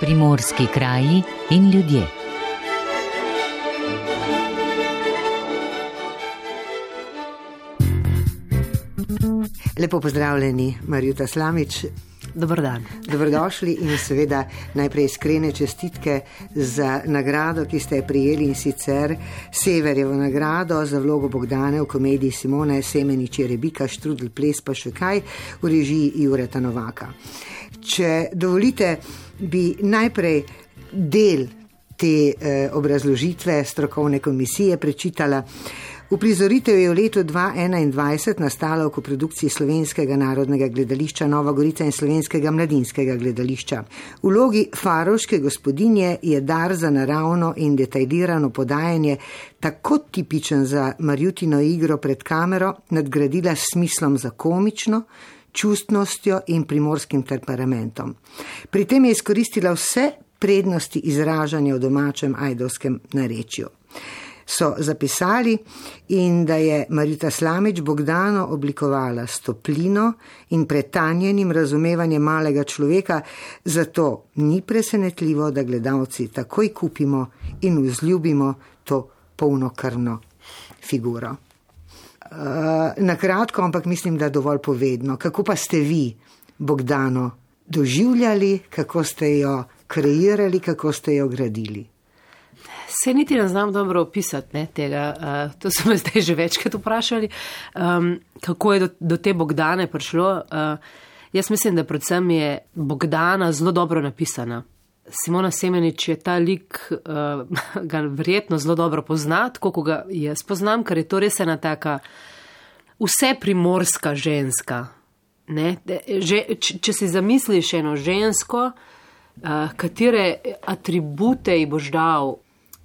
Primorski kraji in ljudje. Lepo pozdravljeni, Marjuta Slamič. Dobar dan. Dobrodošli in seveda najprej iskrene čestitke za nagrado, ki ste je prijeli, in sicer Severjevo nagrado za vlogo Bogdane v komediji Simone Semenič Jerebika, Štrudel ples pa še kaj v režiji Jureta Novaka. Če dovolite, bi najprej del te obrazložitve strokovne komisije prečitala. Uprizoritev je v letu 2021 nastala v koprodukciji Slovenskega narodnega gledališča Nova Gorica in Slovenskega mladinskega gledališča. V vlogi farovške gospodinje je dar za naravno in detaljirano podajanje, tako tipičen za Marjutino igro pred kamero, nadgradila s smislom za komično, čustnostjo in primorskim temperamentom. Pri tem je izkoristila vse prednosti izražanja v domačem ajdovskem narečju. So zapisali, in da je Marjuta Slamič Bogdano oblikovala s toplino in pretanjenim razumevanjem malega človeka, zato ni presenetljivo, da gledalci takoj kupimo in vzljubimo to polnokrvno figuro. Na kratko, ampak mislim, da dovolj povedno. Kako pa ste vi Bogdano doživljali, kako ste jo kreirali, kako ste jo gradili? Se niti ne znam dobro opisati tega, to so me zdaj že večkrat vprašali, kako je do te Bogdane prišlo. Jaz mislim, da predvsem je Bogdana zelo dobro napisana. Simona Semenič je ta lik, ga verjetno zelo dobro pozna, tako ko ga jaz poznam, ker je to res ena taka vse primorska ženska. Če si zamisliš eno žensko, katere atribute ji boš dal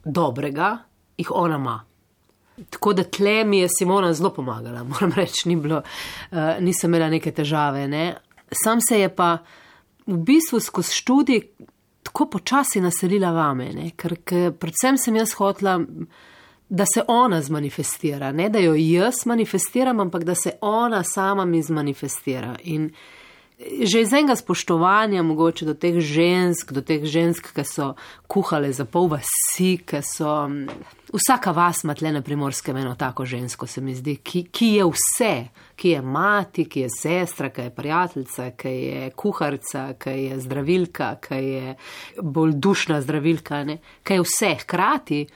dobrega, jih ona ima. Tako da tle mi je Simona zelo pomagala, moram reči, nisem imela neke težave. Sam se je pa v bistvu skozi študij tako počasi naselila vame, ker predvsem sem jaz hotela, da se ona zmanifestira, ne da jo jaz manifestiram, ampak da se ona sama mi zmanifestira. In že iz enega spoštovanja mogoče do teh žensk, ki so kuhale za pol vasi, ki so... Vsaka vas ima tle na Primorskem eno tako žensko, se mi zdi, ki je vse, ki je mati, ki je sestra, ki je prijateljica, ki je kuharica, ki je zdravilka, ki je bolj dušna zdravilka, ki je vse. Hkrati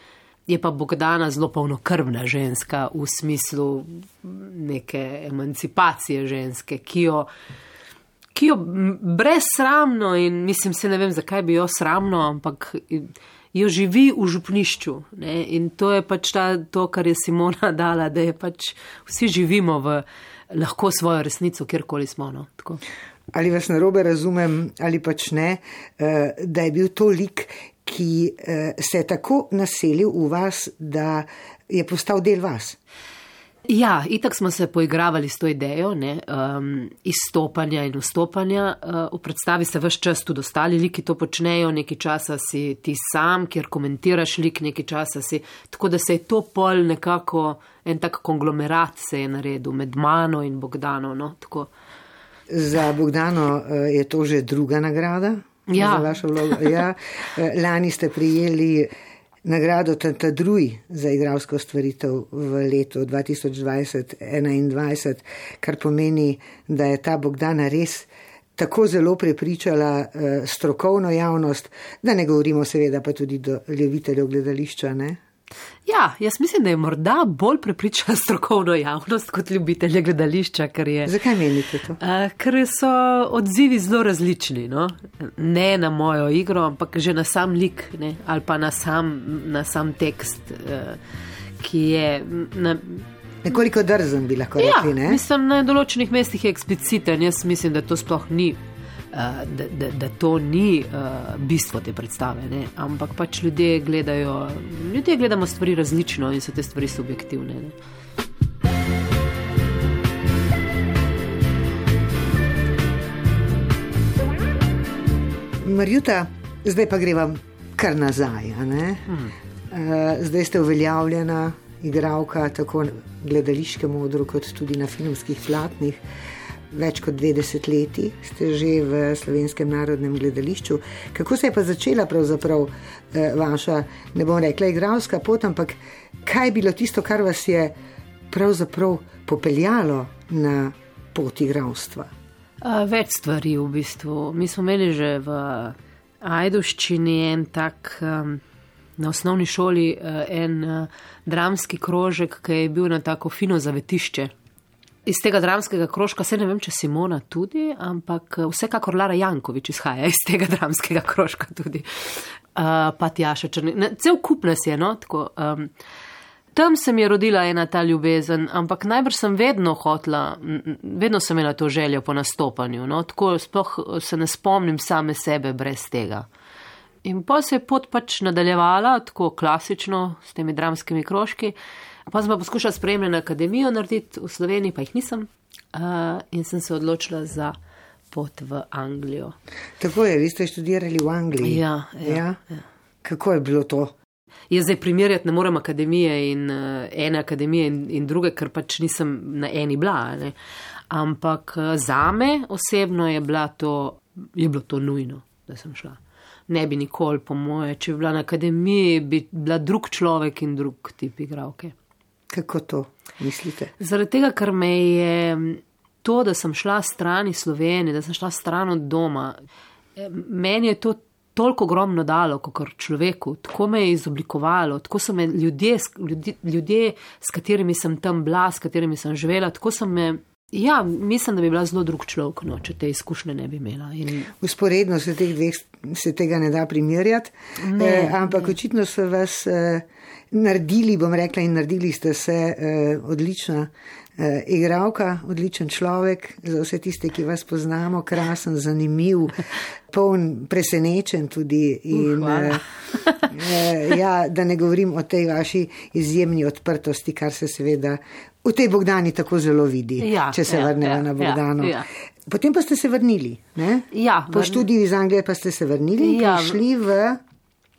je pa Bogdana zelo polnokrvna ženska v smislu neke emancipacije ženske, ki jo brezsramno, in mislim, se ne vem, zakaj bi jo sramno, ampak jo živi v župnišču. In to je pač to, kar je Simona dala, da je pač vsi živimo lahko svojo resnico, kjerkoli smo. Tako. Ali vas narobe razumem, ali pač ne, da je bil to lik, ki se je tako naselil v vas, da je postal del vas? Ja, itak smo se poigravali s to idejo, izstopanja in vstopanja. V predstavi se ves čas tudi ostali liki to počnejo, nekaj časa si ti sam, kjer komentiraš lik, nekaj časa si, tako da se je to pol nekako, en tak konglomerat se je naredil med mano in Bogdano. Tako. Za Bogdano je to že druga nagrada? Ja. Za vašo vlogo. Ja. Lani ste prijeli nagrado Tantadruj za igralsko stvaritev v letu 2020-2021, kar pomeni, da je ta Bogdana res tako zelo prepričala strokovno javnost, da ne govorimo seveda pa tudi do ljubiteljev gledališča, ne? Ja, jaz mislim, da je morda bolj prepričala strokovno javnost kot ljubitelje gledališča, ker je... Zakaj menite to? Ker so odzivi zelo različni, Ne na mojo igro, ampak že na sam lik, ali pa na sam tekst, ki je... Nekoliko drzen bi lahko rekli, ne? Ja, mislim, na določenih mestih je ekspliciten, jaz mislim, da to sploh ni... Da to ni bistvo te predstave, ampak pač ljudje gledamo stvari različno in so te stvari subjektivne. Marjuta, zdaj pa greva kar nazaj, Zdaj ste uveljavljena igralka tako na gledališkem odru kot tudi na filmskih platnih. več kot 20 leti, ste že v Slovenskem narodnem gledališču. Kako se je pa začela pravzaprav vaša, ne bom rekla igralska pot, ampak kaj je bilo tisto, kar vas je pravzaprav popeljalo na pot igralstva? Več stvari v bistvu. Mi smo imeli že v Ajdovščini en tak, na osnovni šoli en dramski krožek, ki je bil na tako fino zavetišče. Iz tega dramskega krožka, se ne vem, če Simona tudi, ampak vsekakor Lara Jankovič izhaja iz tega dramskega krožka tudi. Pa Tjaša Črni. Cel kup nas je, no, tako. Tam se mi je rodila ena ta ljubezen, ampak najbrž sem vedno sem imela to željo po nastopanju, no, tako sploh se ne spomnim same sebe brez tega. In pa se je pot pač nadaljevala, tako klasično, s temi dramskimi krožki, pa sem pa poskušala spremljati akademijo narediti v Sloveniji, pa jih nisem, in sem se odločila za pot v Anglijo. Tako je, vi ste študirali v Angliji? Ja. Kako je bilo to? Jaz zdaj primerjati ne morem akademije in ene akademije in druge, ker pač nisem na eni bila, ne. Ampak zame osebno je bilo to nujno, da sem šla. Ne bi nikoli, po moje, če bi bila na akademiji, bi bila drug človek in drug tip igralke. Kako to mislite? Zaradi tega, ker me je to, da sem šla stran iz Slovenije, da sem šla stran od doma, meni je to toliko ogromno dalo, kot človeku, tako me je izoblikovalo, tako so me ljudje, s katerimi sem tam bila, s katerimi sem živela, tako so me, mislim, da bi bila zelo drug človek, no, če te izkušnje ne bi imela. Usporedno se tega ne da primerjati, ampak očitno so vas naredili, bom rekla, in naredili ste se odlična igralka, odličen človek, za vse tiste, ki vas poznamo, krasen, zanimiv, poln, presenečen tudi in da ne govorim o tej vaši izjemni odprtosti, kar se seveda v tej Bogdani tako zelo vidi, če se vrnemo na Bogdano. Potem pa ste se vrnili, ne? Po študiju iz Anglije pa ste se vrnili in prišli v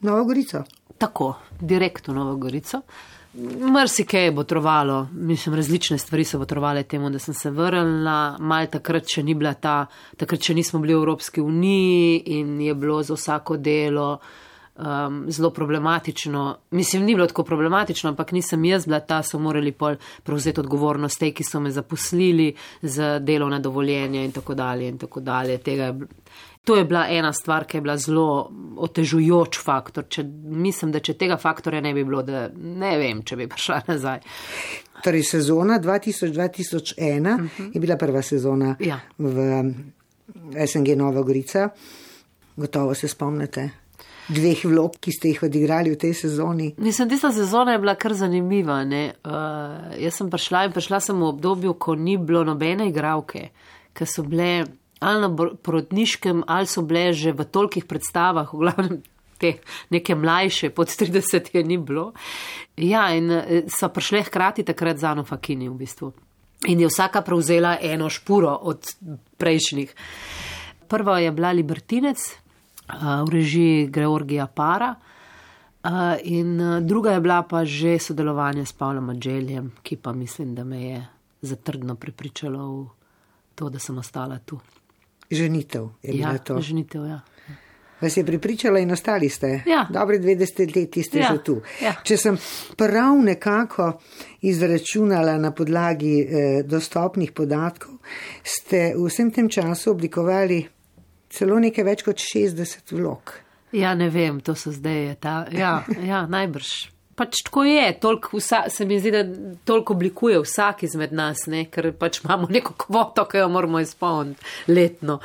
Novo Gorico. Tako, direkt v Novo Gorico. Marsikaj je botrovalo, mislim, različne stvari so botrovale temu, da sem se vrnila, malo takrat še nismo bili v Evropski uniji in je bilo za vsako delo zelo problematično. Mislim, ni bilo tako problematično, ampak nisem jaz bila ta, so morali pol prevzeti odgovornost tej, ki so me zaposlili za delovna dovoljenja in tako dalje in tako dalje. To je bila ena stvar, ki je bila zelo otežujoč faktor. Mislim, da če tega faktorja ne bi bilo, da ne vem, če bi prišla nazaj. Torej, sezona 2000-2001 je bila prva sezona v SNG Nova Gorica. Gotovo se spomnite 2 vlog, ki ste jih odigrali v tej sezoni. Mislim, tista sezona je bila kar zanimiva, ne. Jaz sem prišla sem v obdobju, ko ni bilo nobene igralke, ki so bile ali na porodniškem, ali so bile že v tolikih predstavah, v glavnem te neke mlajše, pod 30 je ni bilo. In so prišle hkrati takrat z Ano Fakini v bistvu. In je vsaka prevzela eno špuro od prejšnjih. Prva je bila Libertinec, v režiji Georgija Para, in druga je bila pa že sodelovanje s Pavlom Adželjem, ki pa mislim, da me je zatrdno prepričalo v to, da sem ostala tu. Ženitev je bila to. Ženitev, Vas je pripričala in ostali ste? Dobri 20 leti ste že tu. Če sem prav nekako izračunala na podlagi dostopnih podatkov, ste v vsem tem času oblikovali celo nekaj več kot 60 vlog. Ne vem, to so zdaj najbrž. Pač tako je, se mi zdi, da toliko oblikuje vsak izmed nas, ne, ker pač imamo neko kvoto, ki jo moramo izpolniti letno.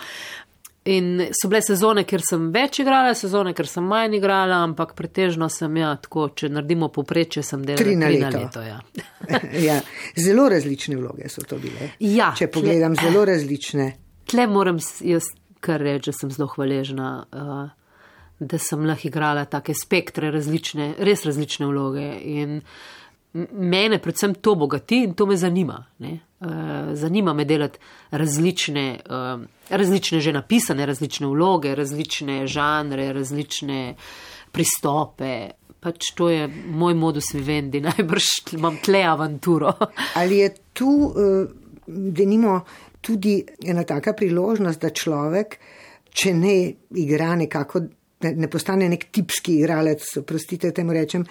In so bile sezone, kjer sem več igrala, sezone, kjer sem manj igrala, ampak pretežno sem, tako, če naredimo povprečje, sem delala 3 na leto. Zelo različne vloge so to bile. Če pogledam, zelo različne. Tle moram jaz kar reči, da sem zelo hvaležna, da sem lahko igrala take spektre res različne vloge in mene predvsem to bogati in to me zanima. Ne? Zanima me delati različne že napisane, različne vloge, različne žanre, različne pristope. Pač to je moj modus vivendi, najbrž imam tle avanturo. Ali je tu, denimo, tudi ena taka priložnost, da človek, če ne igra nekako, ne postane nek tipski igralec, prostite, temu rečem,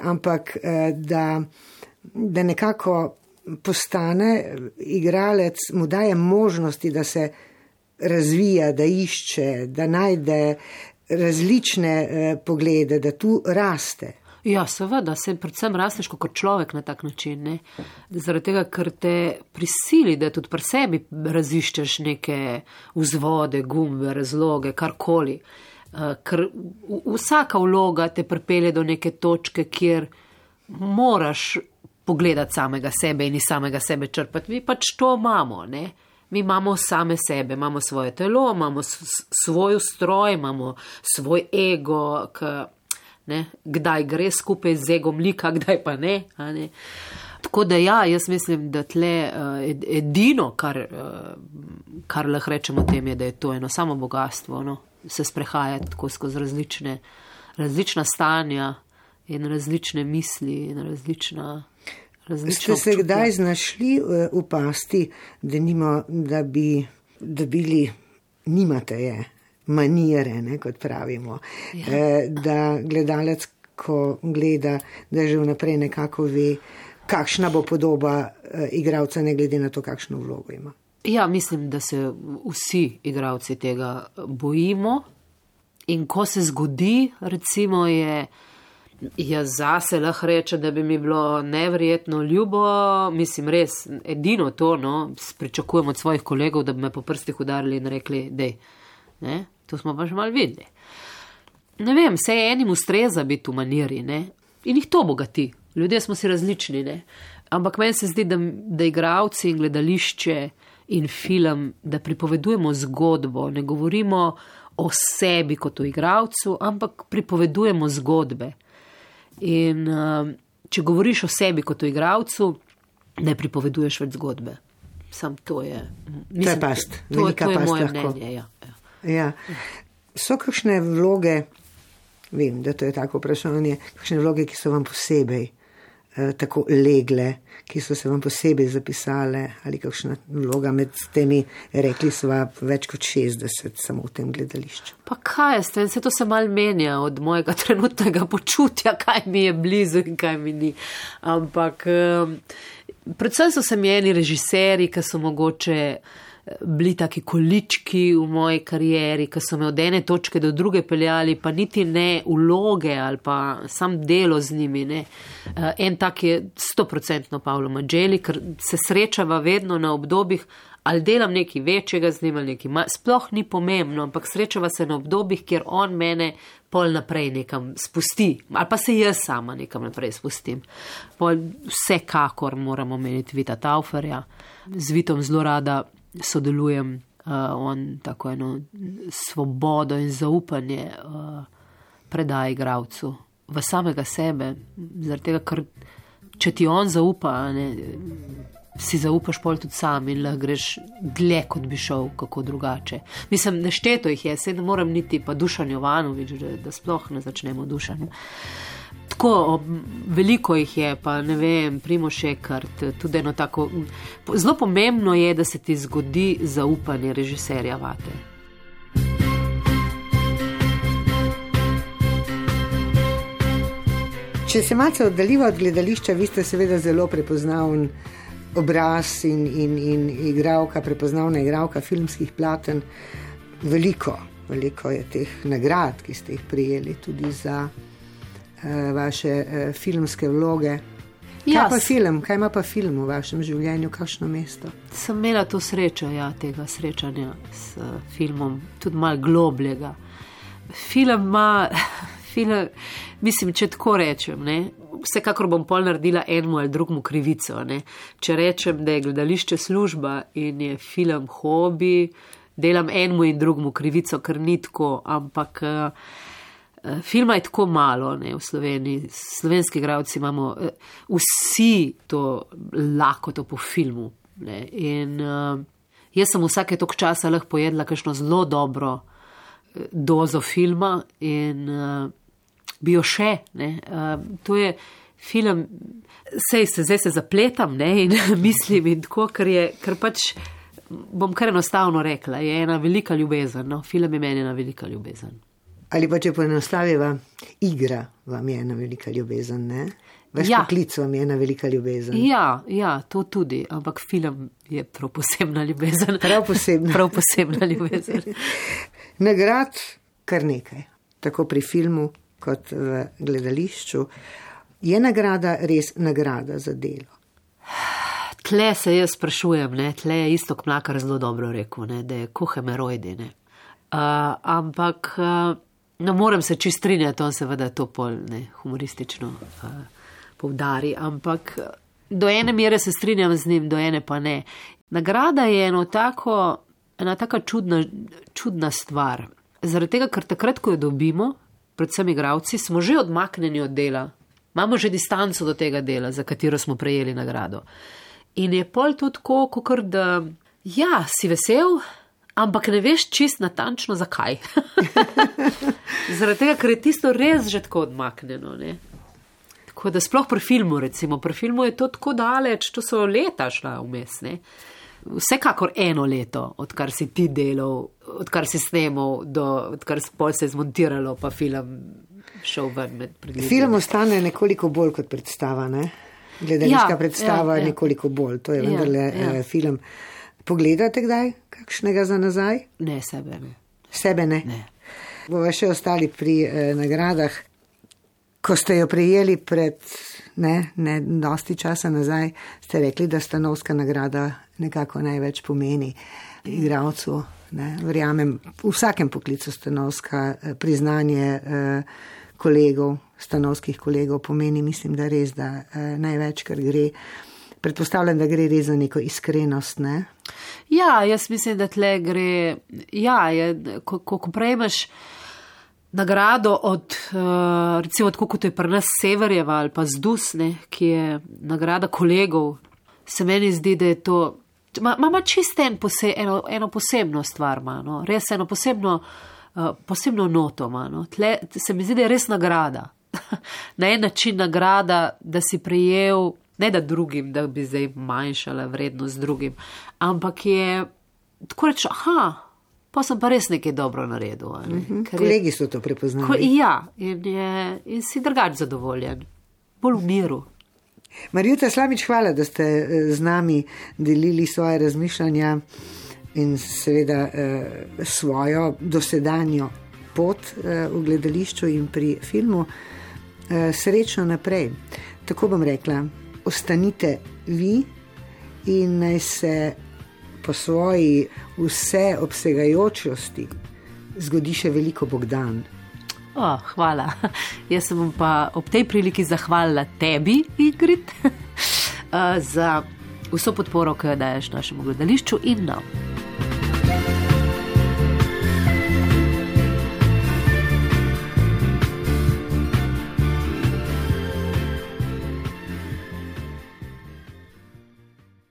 ampak da nekako postane igralec, mu daje možnosti, da se razvija, da išče, da najde različne poglede, da tu raste. Ja, seveda, se predvsem rasteš kot človek na tak način, ne? Zaradi tega, ker te prisili, da tudi pri sebi raziščeš neke vzvode, gumbe, razloge, karkoli. Ker vsaka vloga te pripelje do neke točke, kjer moraš pogledati samega sebe in iz samega sebe črpati. Mi pač to imamo, ne? Mi imamo same sebe, imamo svoje telo, imamo svoj ustroj, imamo svoj ego, kdaj gre skupaj z egom lika, kdaj pa ne. Tako da ja, jaz mislim, da tle edino, kar lahko rečemo tem, je, da je to eno samo bogatstvo, no? Se sprehajati tako skozi različna stanja in različne misli in različna Ste se kdaj znašli v pasti, da bi dobili, nimate je, manire, ne, kot pravimo, da gledalec, ko gleda, da že vnaprej nekako ve, kakšna bo podoba igralca, ne glede na to, kakšno vlogo ima. Ja, mislim, da se vsi igralci tega bojimo in ko se zgodi, recimo jaz zase lahko rečem, da bi mi bilo neverjetno ljubo, mislim res, edino to, no, pričakujem od svojih kolegov, da bi me po prstih udarili in rekli, dej, ne, to smo pa že malo videli. Ne vem, vse enim ustreza biti v maniri, ne, in jih to bogati. Ljudje smo si različni, ne, ampak meni se zdi, da igralci in gledališče in film, da pripovedujemo zgodbo, ne govorimo o sebi kot o igralcu, ampak pripovedujemo zgodbe. In če govoriš o sebi kot o igralcu, ne pripoveduješ več zgodbe. Sam to je... Mislim, to je past, velika past. To je moje mnenje, ja. So kakšne vloge, vem, da to je tako vprašanje, kakšne vloge, ki so vam posebej tako legle, ki so se vam posebej zapisale, ali kakšna vloga med temi, rekli sva več kot 60 samo v tem gledališču. Pa kaj je, se to se mal menja od mojega trenutnega počutja, kaj mi je blizu in kaj mi ni. Ampak predvsem so se mi eni režiserji, ki so mogoče bili taki količki v moji karieri, ki so me od ene točke do druge peljali, pa niti ne vloge ali pa sam delo z njimi. Ne. En tak je 100% Pavlo Maggieli, ker se srečava vedno na obdobjih, ali delam nekaj večjega z njim, ali nekaj sploh ni pomembno, ampak srečava se na obdobjih, kjer on mene pol naprej nekam spusti, ali pa se jaz sama nekam naprej spustim. Pol vsekakor moramo omeniti Vita Tauferja, z Vitom zelo rada sodelujem, on tako eno svobodo in zaupanje predaja igralcu v samega sebe, zaradi tega, ker če ti on zaupa, ne, si zaupaš pol tudi sam in lahko greš dlje, kot bi šel, kako drugače. Mislim, nešteto jih je, se ne moram niti pa Dušan Jovanović, da sploh ne začnemo Dušan. Tako, veliko jih je, pa ne vem, Primož Ekart, tudi eno tako, zelo pomembno je, da se ti zgodi zaupanje režiserja vate. Če se malce oddaljiva od gledališča, vi ste seveda zelo prepoznaven obraz in igralka, prepoznavna igralka filmskih platen. Veliko je teh nagrad, ki ste jih prijeli tudi za vaše filmske vloge. Kaj ima pa film v vašem življenju, kakšno mesto? Sem imela to srečo, tega srečanja s filmom, tudi malo globljega. Film ima, mislim, če tako rečem, ne, vsekakor bom pol naredila enemu ali drugmu krivico, ne. Če rečem, da je gledališče služba in je film hobi, delam enemu in drugmu krivico, ker ni tako, ampak filma je tako malo, ne, v Sloveniji. Slovenski igralci imamo vsi to lakoto po filmu, ne. In jaz sem vsake toliko časa lahko pojedla kakšno zelo dobro dozo filma in bi jo še, ne. To je film, zdaj se zapletam, ne, in mislim in tako, ker pač bom kar enostavno rekla, je ena velika ljubezen. No? Film je meni ena velika ljubezen. Ali pa če poenostaviva, igra vam je ena velika ljubezen, ne? Vaš poklic vam je ena velika ljubezen. Ja, to tudi, ampak film je prav posebna ljubezen. Prav posebna ljubezen. Nagrad kar nekaj, tako pri filmu kot v gledališču. Je nagrada res nagrada za delo? Tle se jaz sprašujem, ne? Tle je Iztok Mlakar zelo dobro rekel, ne? Da je ko hemerojdi. Ampak ne morem se čist strinjati, on seveda to pol humoristično povdari, ampak do ene mere se strinjam z njim, do ene pa ne. Nagrada je ena taka čudna stvar. Zaradi tega, ker takrat, ko jo dobimo, predvsem igravci, smo že odmaknjeni od dela. Imamo že distanco do tega dela, za katero smo prejeli nagrado. In je pol to tako, kakor da, si vesel, ampak ne veš čist natančno zakaj. Zaradi tega, ker je tisto res že tako odmaknjeno, ne. Tako da sploh pri filmu, recimo, pri filmu je to tako daleč, to so leta šla vmes, ne. Vsekakor 1 leto, odkar si ti delal, odkar si snemal, odkar pol se je zmontiralo, pa film šel ven med predvidom. Film ostane nekoliko bolj kot predstava, ne? Gledališka predstava je nekoliko bolj, to je vendarle film. Pogledate kdaj kakšnega za nazaj? Ne, sebe ne. Sebe ne? Ne. Bova še ostali pri nagradah. Ko ste jo prejeli pred ne dosti časa nazaj, ste rekli, da Stanovska nagrada nekako največ pomeni igralcu. Verjamem, v vsakem poklicu Stanovska priznanje kolegov, stanovskih kolegov pomeni, mislim, da res, da največ, kar gre. Predpostavljam, da gre res za neko iskrenost, ne? Ja, jaz mislim, da tle gre, ko prejmeš nagrado od, recimo, tako kot je pri nas Severjeva ali pa Zdus, ki je nagrada kolegov, se meni zdi, da je to, ima čisto eno posebno stvar, no? Res eno posebno noto, no? Tle se mi zdi, da je res nagrada. Na en način nagrada, da si prejel, ne da drugim, da bi zdaj manjšala vrednost drugim, ampak je, tako reč, pa sem pa res nekaj dobro naredil. Kolegi so to prepoznali. In si drugač zadovoljen, bolj v miru. Marjuta Slamič, hvala, da ste z nami delili svoje razmišljanja in seveda svojo dosedanjo pot v gledališču in pri filmu. Srečno naprej. Tako bom rekla, ostanite vi in naj se po svoji vseobsegajočnosti zgodi še veliko Bogdan. Hvala. Jaz sem pa ob tej priliki zahvalila tebi, Ingrid, za vso podporo, ki jo daješ našemu gledališču in nam.